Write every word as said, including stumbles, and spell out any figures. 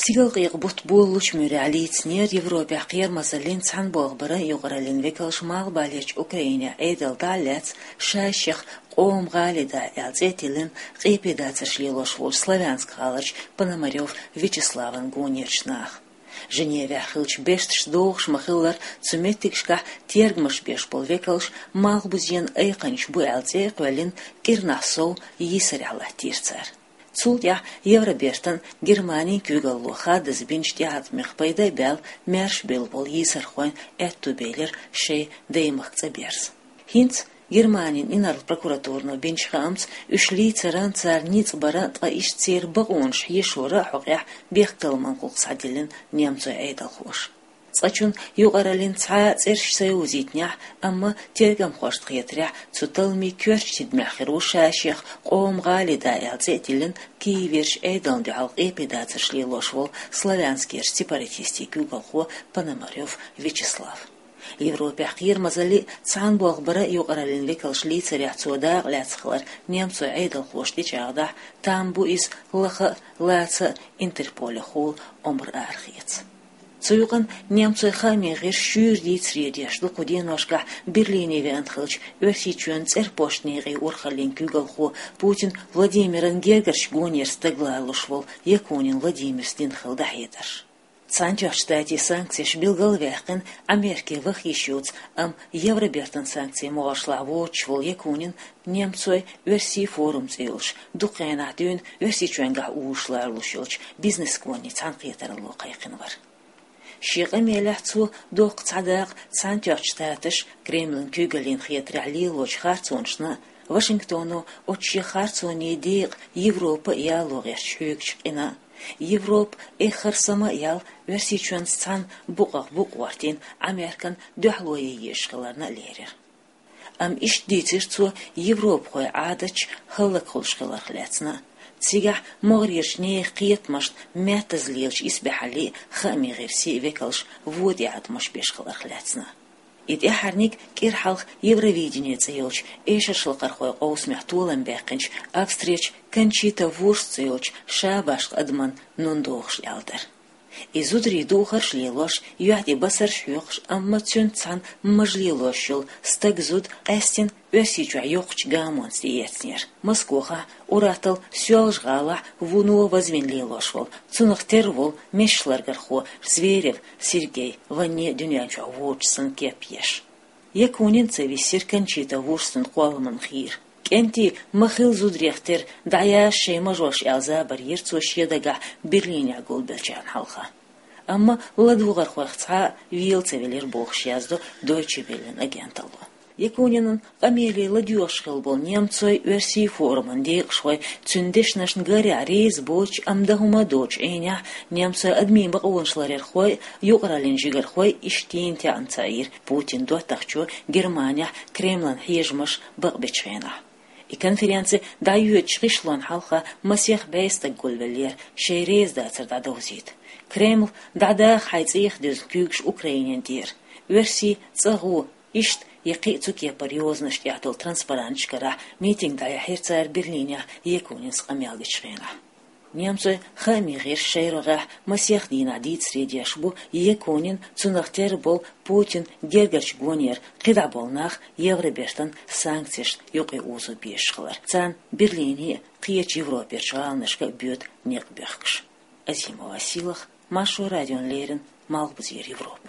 Сигалкъекъа бутт болалучу муьрехь лийцинера Европехь кхерамазаллин, цхьаьна болх баран юкъараллин векалш малхбалерчу Украинехь Ӏедал дӀа а лаьцна, ша-шех къоман гӀали да аьлла цӀе а тиллина, къепедацарш лелош волчу Славянск гӀаларчу Пономарёв Вячеславан гонерчу наха. Женевехь хиллачу бешташ догӀуш ма-хиллара, цу меттигашкахь тергамаш беш болу векалш малхбузенан айкханчаш бу аьлла цӀе а кхоьллина, кӀирнахь сов йийсарехь латтийра цара. Цул тӀаьхьа Евробертан, Германин куьйгалло хаддаза бинчу тӀеӀаткъамех пайда а баьлла, маьрша бевлла болу йийсархойн аьтто белира шайн даймахка цӀа берза. ХӀинца Германин инарла прокуратурано бинчу хаамца, уьш лийцаран, царна ницкъ баран, ткъа иштта церан бакъонаш хьешоран а хьокъехь бехктакхаман гӀуллакх схьадиллина немцойн Ӏедалхоша. Цкъачунна юкъараллин цхьа а цӀераш ца йовзийтинехь, амма тергамхошна хетарехь, цу талламийн коьртачу тидамехь хир ву ша-шех къоман гӀали да аьлла цӀе а тиллина, Киеверчу Ӏедална дуьхьал къепедацарш лелош волу Славянскерчу сепаратистийн куьйгалхо Пономарёв Вячеслав. Европехь кхерамазаллин, цхьаьна болх баран юкъараллин векалш лийцарехь цо дакъа лаьцна хилар немцойн Ӏедалхоша тӀечӀагӀдахь, там бу иза лаха а, лаца а Интерполехула омра арахеца. Цу юкъана немцойн хаамийн гӀирсаша шуьйра дийцаре деш ду кху деношкахь Берлине веана хиллачу Оьрсийчоьнан цӀерпошт некъийн урхаллин куьйгалхо, Путин Владимиран гергарчу гонера стаг лоруш волу Якунин Владимира дина хилла дӀахьедарш. Цхьаьнатоьхначу Штатийн санкцеш билгал а ваьккхина, Америке ваха йиш йоцу, амма Евробертан санкцийн могӀаршлахь воцуш волу Якунин немцойн, оьрсийн форум цӀе йолуш, дукха хенахь дуьйна Оьрсийчоьнгахь узуш лоруш йолчу бизнес-гонийн цхьаьнакхетаралло кхайкхина вара. Шен къамелехь цо доккха цхьа дакъа Цхьаьнатоьхначу Штаташа Кремлан куьйгаллина хетарехь лелочу харцонашна, Вашингтоно оцу шен харцонийн декъан Европа а яло гӀерташ хьоьгучу къинан, Европа эххар сама а яьлла, Оьрсийчоьнца цхьаьна букъах букъ гӀортийна, Американа дуьхьало ян езаш хиларна а лерира. Амма иштта дийцира цо европахойн Ӏадаташ хӀаллакьхуьлуш хиларх лаьцна а, цигахь могӀарерчу нехан кхетамашна меттаза лелачу исбаьхьаллин а, хаамийн гӀирсийн а векалш вон тӀеӀаткъамаш беш хиларх лаьцна а. И тӀаьххьарниг кӀира хьалха Евровидение цӀе йолчу эшаршлакхархойн къовсамехь толам баьккхинчу Австрерчу Кончита Вурст цӀе йолчу шабашка адаман нун дохуш аьлла дара. И зударий духарш а лелош, юьхь тӀе басарш а хьоькхуш, амма цуьнца цхьаьна мажа лелош йолу стаг-зуда къаьстина Оьрсийчохь йоккхачу гамонца тӀеэцнера. Москохахь, ур-атталла Соьлжа-ГӀалахь вуно вазвина лелош волу, цунах тера волу мешаларгархо Зверев Сергей ванне дуьнен чохь воцуш санна кеп еш. Якунин ца висира Кончита Вурстан кхолламан хийра. КӀентий, ма хила зударех тера, дӀаяша шайн мажош аьлла забар йира цо шен дагахь Берлинехь гулбеллачарна хьалха. Амма ладогӀархойх цхьа а вела ца велира бохуш яздо Deutsche Welle-н агенталло. Якунинан къамеле ладоьгӀуш хилла болу немцойн, оьрсийн форуман декъашхой цуьнан дешнашна гарехь реза боцуш, амма дан хӀума а доцуш Ӏийнехь, немцойн адамийн бакъонаш ларъярхой а, юкъараллин жигархой а иштта йина таьӀна ца Ӏийра Путинан доттагӀчо Германехь Кремлан хьежамаш бакъбечу хенахь. И конференци дӀайоьдучу гӀишлонна хьалха масех бӀе стаг гулвеллера шайн резадацар дӀадовзийта. Кремль, дӀадаха хьайн цӀех дуьзна куьйгаш Украинина тӀера, оьрсийн, цӀа гӀо, иштта я кхин а цу кепара йозанаш тӀехь долу транспаранташ карахь митинг дӀаяьхьира цара Берлинехь Якунинс къамел дечу хенахь. Немцойн хаамийн гӀирсаша шайн рогӀехь масех дийнахь дийцаре деш бу Якунин, цунах тера болу Путин гергарчу гонера кхидӀа болу нах Евробертан санкцешна юкъе озо безаш хилар, царна Берлине а, кхечу Европерчу гӀаланашка а боьду некъ бехкаш. Азимова Силах, Маршо радиона леррина, Малхбузера Европа.